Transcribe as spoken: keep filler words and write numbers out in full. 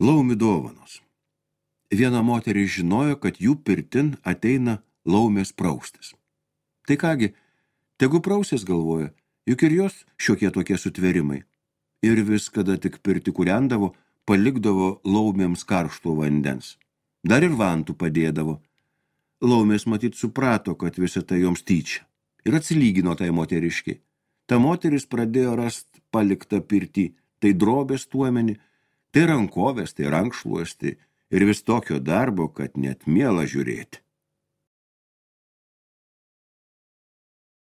Laumių dovanos. Viena moteris žinojo, kad jų pirtin ateina laumės praustis. Tai kągi, tegu prausės galvoja, juk ir jos šiokie tokie sutverimai. Ir vis, kada tik pirti kūrendavo, palikdavo laumėms karšto vandens. Dar ir vantų padėdavo. Laumės matyt suprato, kad visa tai joms tyčia. Ir atsilygino tai moteriškiai. Ta moteris pradėjo rast paliktą pirtį, tai drobės tuomenį, tai rankovės, tai rankšluosti ir vis tokio darbo, kad net miela žiūrėti.